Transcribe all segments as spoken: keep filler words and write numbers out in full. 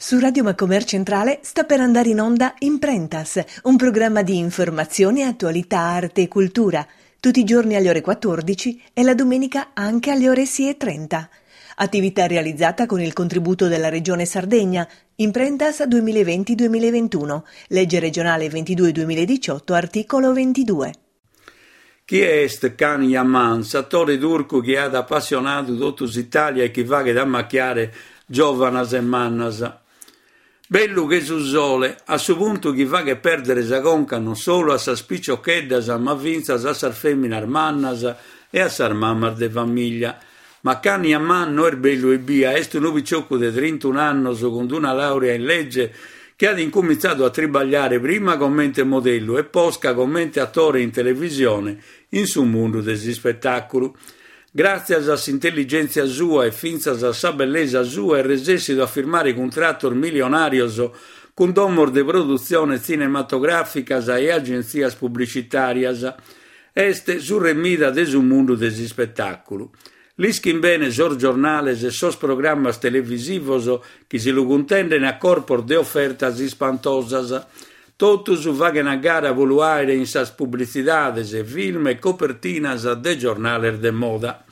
Su Radio Macomer Centrale sta per andare in onda Imprentas, un programma di informazione, attualità, arte e cultura, tutti i giorni alle ore quattordici e la domenica anche alle ore sei e trenta. Attività realizzata con il contributo della Regione Sardegna, Imprentas duemilaventi duemilaventuno, legge regionale ventidue duemiladiciotto, articolo ventidue. Chi est Can Yaman, s'atore turcu chi at apassionadu totu s'Itàlia e chi faghet ammachiare giòvanas e mannas. Bellu che su sole, a su puntu chi faghet pèrdere sa conca non solu a sas piciocheddas ma fintzas a sas fèminas mannas e a sas mamas de famìllia. Ma Can Yaman no est bellu ebbia, est unu piciocu de trintunu annos cun una làurea in lege chi at incumintzadu a tribagliare prima comente modellu e posca comente atore in televisione in su mundu de s'ispetàculu. Gràtzias a s'intelligèntzia sua e fintzas a sa bellesa sua est resèssidu a firmare cuntratos milionàrios cun domos de produtzione tzinematogràficas e agentzias publicitàrias. Est su re Mida de su mundu de s'ispetàculu. L'ischin bene sos giornales e sos programmas televisivos chi si lu cuntenden a corpos de ofertas ispantosas. Totus faghen a gara pro lu àere in sas publitzidades, film e copertinas de giornales de moda.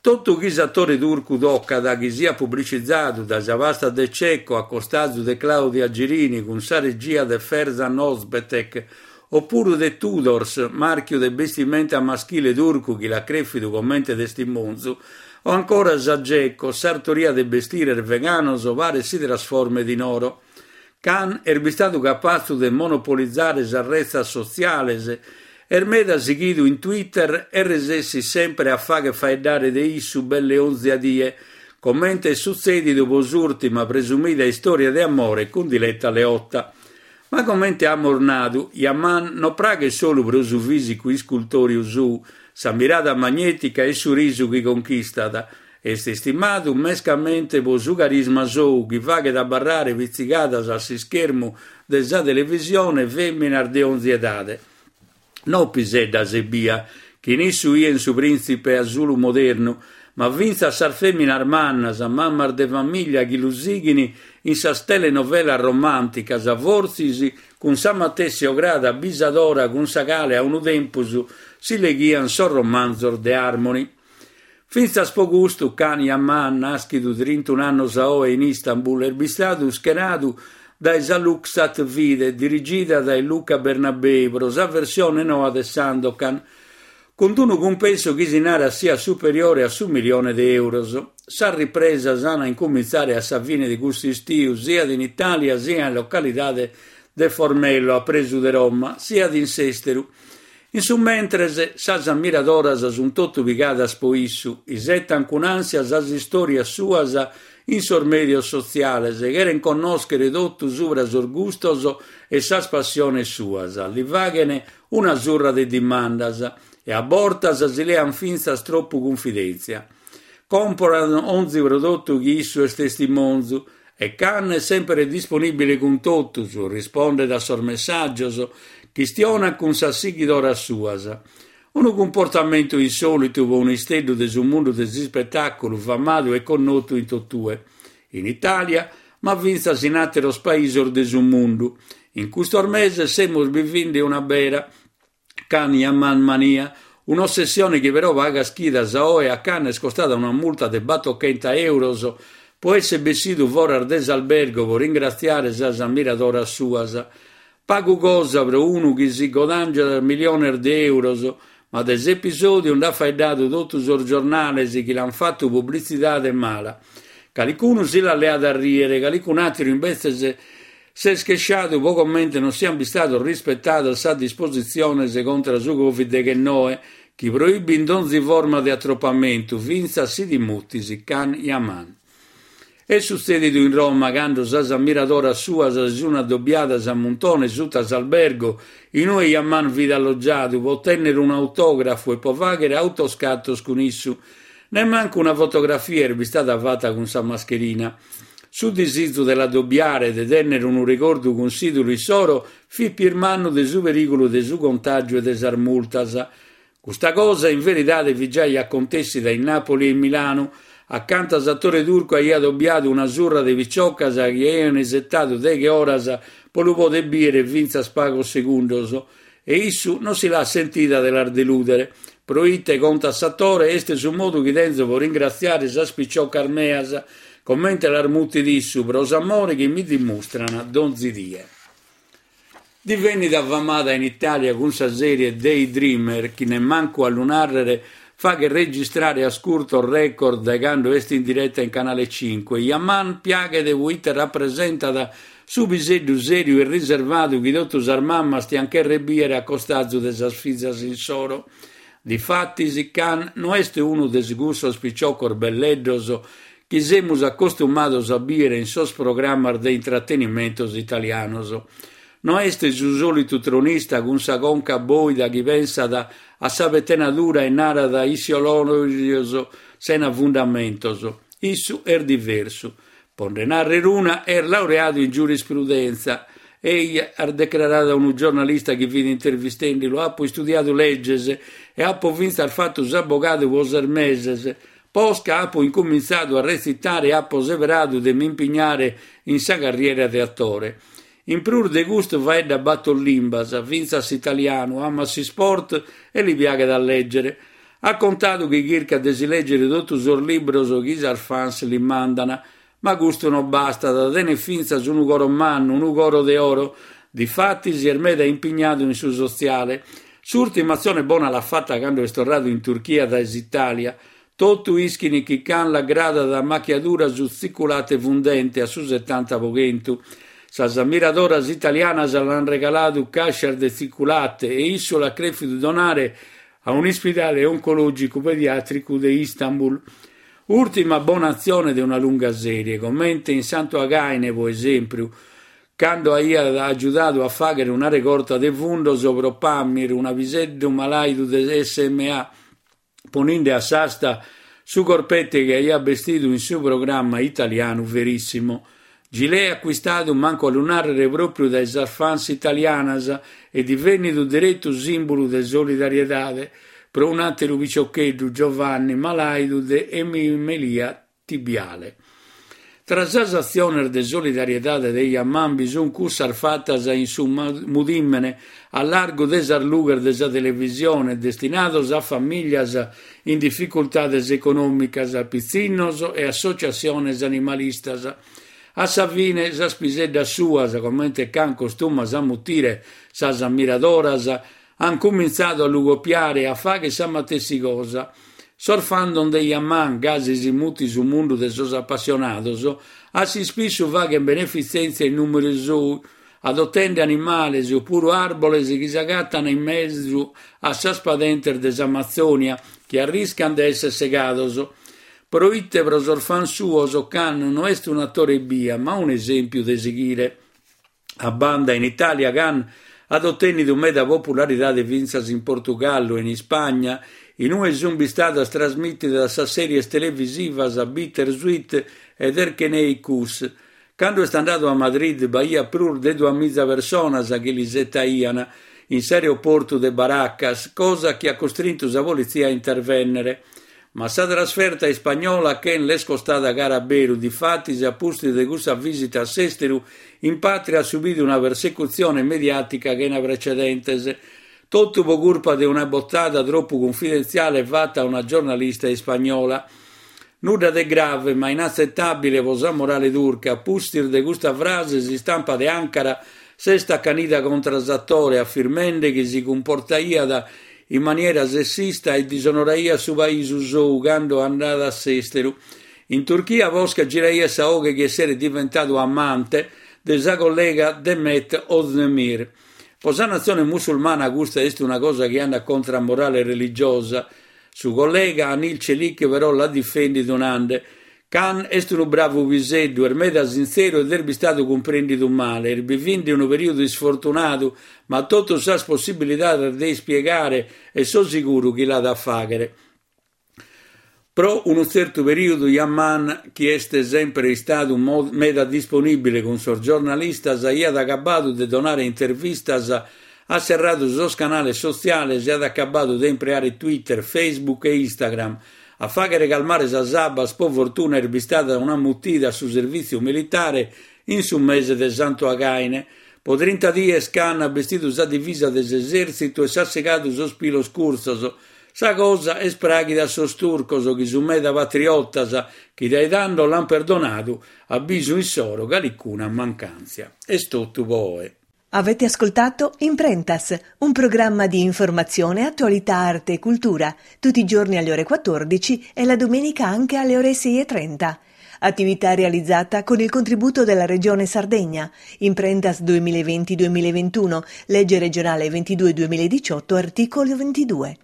Totu chi s'atore turcu tocat chi siat publicizadu dae sa pasta de Cecco a costazu de Claudia Gerini cun sa regia de Ferzan Özpetek, opuru de Tudors, màrchiu de bestimenta maschile turcu chi l'at crèfidu comente testimonzu, o ancora sa Geco, sartoria de bestires veganos paret si trasformet in oro. Can est bistadu capatzu de monopolizare sas retzas sotziales, est meda sighidu in Twitter e resessit sempre a fagher faeddare de issu belle onzi die, comente est sutzèdidu pro s'ùrtima presumida istòria de amore cun Diletta Leotta. Ma comente amus nadu, Yaman non praghet solu pro su fìsicu iscultòriu suu, sa mirada magnètica e su risu chi conchistat. Est istimadu mescamente pro su carisma sou chi faghet abarrare pitzigadas a s'ischermu de sa televisione fèminas de onzi edade. No piseddas ebbia, chi in issu ien su prìntzipe asulu modernu, ma fintzas sas fèminas mannas, mamas de famìllia chi lu sighin in sas telenovelas romànticas, fortzis cun sa matessi ograda bisadora cun sa cale a unu tempus si leghian sos romanzos de Armoni. Fintzas pro custu Can Yaman, nàschidu trintunu annos a oe in Istanbul, est bistadu ischenadu dae sa Luxat Vide, dirigida dae Luca Bernabei, pro sa versione noa de Sandokan, cun unu cumpensu chi si narat siat superiore a su milione de euros. Sas ripresas an a incumintzare a sa fine de custu istiu, siat in Itàlia, siat in localidade de Formello, a presu de Roma, siat in s'èsteru. In su mentres, sas ammiradoras sunt totu pigadas pro issu, isetan cun ànsia sas istòrias suas in sos mèdios sotziales, cheren connòschere totu subra sos gustos e sas passiones suas, li faghen una surra de dimandas e a bortas si lean fintzas tropu cunfidèntzia. Comporan onzi prodottu chi issu est testimonzu e Can est sempre disponìbile cun totus, rispondet a sos messàgios, chistionat cun sas sighidoras suas. Unu cumportamentu insòlitu pro un'isteddu de su mundu de s'ispetàculu famadu e connotu in totue, in Itàlia, ma fintzas in àteros paisos de su mundu. In custos meses semus bivende una bera Can Yaman mania, un'ossessione chi però pagas chidas a oe a Can est costada una multa de battochenta euros pro essere bessidu foras de s'albergo pro ringratziare sas ammiradoras suas. Pagu cosa pro unu chi si godàngiat miliones de euros, ma de s'episòdiu nd'at faeddadu totu sos giornales chi l'ant fatu publitzidade mala. Calicunu si l'at leada a rìere, calicun'àteru imbetzes s'est chesciadu pro comente non siant bistados rispetadas sas dispositziones contra su Covid deghennoe, chi proibint onzi forma de atropamentu, fintzas si ti mutis Can Yaman. Est sutzèdidu in Roma cando sas ammiradoras suas si sunt addobiadas a muntone suta s'albergo in ue Yaman fit allogiadu pro tènnere un'autògrafu e pro fàghere autoscatos cun issu. Nemmancu una fotografia est bistada fata cun sa mascherina. Su disizu de l'addobiare e de tènnere unu regordu cun s'ìdulu issoro fit pius mannu de su perìgulu de su contàgiu e de sas multas. Custa cosa in veridade fit giai acontèssida in Nàpoli e in Milanu, Acanta s'atore turcu aiat obiadu una surra de piciocas chi aiant isetadu deghe oras pro lu poder bìdere fintzas pagos segundos e issu non si l'at sentida de las delùdere. Pro ite, contat s'atore, est su modu chi tenzo pro ringratziare sas piciocas meas, comente las mutit issu, pro s'amore chi mi dimustrant donzi die. Divennida famada in Itàlia cun sa sèrie Daydreamer, chi nemmancu a lu nàrrere faghet registrare ascurtos record dae cando est in direta in Canale cinque, Yaman piaghet proite rapresentat su piseddu sèriu e riservadu chi totu sas mammas tiant chèrrere bìdere a costazu de sas fizas insoro. Difatis, Can no est unu de cussos piciocos belleddos chi semus acostumados a bìdere in sos programmas de intratenimentos italianos. No est su sòlitu tronista cun sa conca bòida chi pensat a sa petenadura e narat isciolòrios sena fundamentos. Issu est diversu. Pro nde nàrrere una, est laureadu in giurisprudenza e at decraradu a unu giornalista chi fit intervistende-lu: apo istudiadu leges e apo fintzas fatu s'abogadu pro ses meses. Posca apo incumintzadu a retzitare e apo seberadu de m'impignare in sa carriera de atore. In prus de custu faeddat bator limbas, fintzas s'italianu, amat s'isport e li piaghet a lègere. At contadu chi chircat de si lègere totu sos libros chi sas fans li mandant, ma custu non bastat, tenet fintzas unu coro mannu, unu coro de oro. Difatis est meda impignadu in su sotziale. S'ùrtima atzione bona l'at fata cando est torradu in Turchia dae s'Itàlia. Totu ischin chi Can l'agradat a machiadura su tziculate fundente a su setanta pro chentu. Sas ammiradoras italianas l'ant regaladu càscias de tziculate e issu l'at crèfidu donare a un'ispidale oncològicu pediàtricu de Istanbul. Ùrtima bona atzione de una lunga sèrie, comente in Santu Againe, pro esèmpiu, cando aiat agiudadu a fàghere una regorta de fundos pro Pamir, una piseddu malàidu de S M A, ponende a s'asta su corpete chi aiat bestidu in su programma italianu Verissimo. Gilet acquistadu mancu a lu nàrrere pròpiu dae sas fans italianas e divènnidu deretu sìmbulu de solidariedade pro un'àteru piciocheddu, Giovanni, malàidu de emimelia tibiale. Tra sas atziones de solidariedade de Yaman bi sunt cussas fatas in su mudìmene a largu de sas lughes de sa televisione, destinados a famìlias in dificultades econòmicas, pitzinnos e associatziones animalistas. A sa fine, sas piseddas suas, comente Can costumat a mutire sas ammiradoras, han comintzadu a lu copiare e a fàghere sa matessi cosa. Sos fandom de Yaman, gasi si mutit su mundu de sos appassionados, a s'ispissu faghen benefitzèntzia in nùmene sou, adotende animales opuru àrboles chi s'agatan in mesu a sas padentes de s'Amazzonia, chi arriscan de èssere segados. Pro ite pro sos fans suos Can no est un'atore ebbia, ma un'esèmpiu de sighire. A banda in Itàlia, Can at otènnidu meda popularidade fintzas in Portugallu e in Ispagna, in ue sunt bistadas trasmìtidas sas sèries televisivas Bittersweet ed Erkeney Kus. Cando est andadu a Madrid b'aiat prus de duamiza personas chi l'isetaiant in s'aeroportu de Barajas, cosa chi at costrintu sa politzia a intervènnere. Ma sa trasferta ispagnola a Can l'est costada cara a beru, difatis a pustis de cussa visita a s'èsteru, in pàtria at subidu una persecutzione mediàtica chena precedentes. Totu pro curpa de una botada tropu cunfidentziale fata a una giornalista ispagnola. Nudda de grave, ma inatzetàbile pro sa morale turca. Pustis de custa frase s'istampa de Ankara s'est acanida contra s'atore, afirmende chi si cumportaiat in maniera sessista e disonoraiat su paisu sou cando andada a s'èsteru. In Turchia posca giraiat sa oghe chi esseret diventadu amante de sa collega Demet Özdemir. Pro sa natzione musulmana custa est una cosa chi andat contra a morale religiosa. Su collega Anil Çelik però l'at difendidu nande: Can est unu bravu piseddu, est meda sintzeru ed est bistadu cumprèndidu male, est bivende unu perìodu isfortunadu, ma totus sas possibilidades de ispiegare e so siguru chi l'at a fàghere. Pro unu tzertu perìodu Yaman, chi est sempre istadu meda disponìbile cun sos giornalistas, aiat acabadu de donare intervistas, at serradu sos canales sotziales e at acabadu de impreare Twitter, Facebook e Instagram, A fàghere calmare sas abbas, pro fortuna, est bistada una mutida a su servìtziu militare in su mese de Santu Againe. Pro trinta dies Can at bestidu sa divisa de s'esèrtzitu e s'at segadu sos pilos curtzos. Sa cosa est pràghida a sos turcos, chi sunt meda patriotas, chi dae tando l'ant perdonadu, a bisu issoro, calicuna mancàntzia. Est totu pro oe. Avete ascoltato Imprentas, un programma di informazione, attualità, arte e cultura, tutti i giorni alle ore quattordici e la domenica anche alle ore sei e trenta. Attività realizzata con il contributo della Regione Sardegna. Imprentas duemilaventi duemilaventuno, legge regionale ventidue duemiladiciotto, articolo ventidue.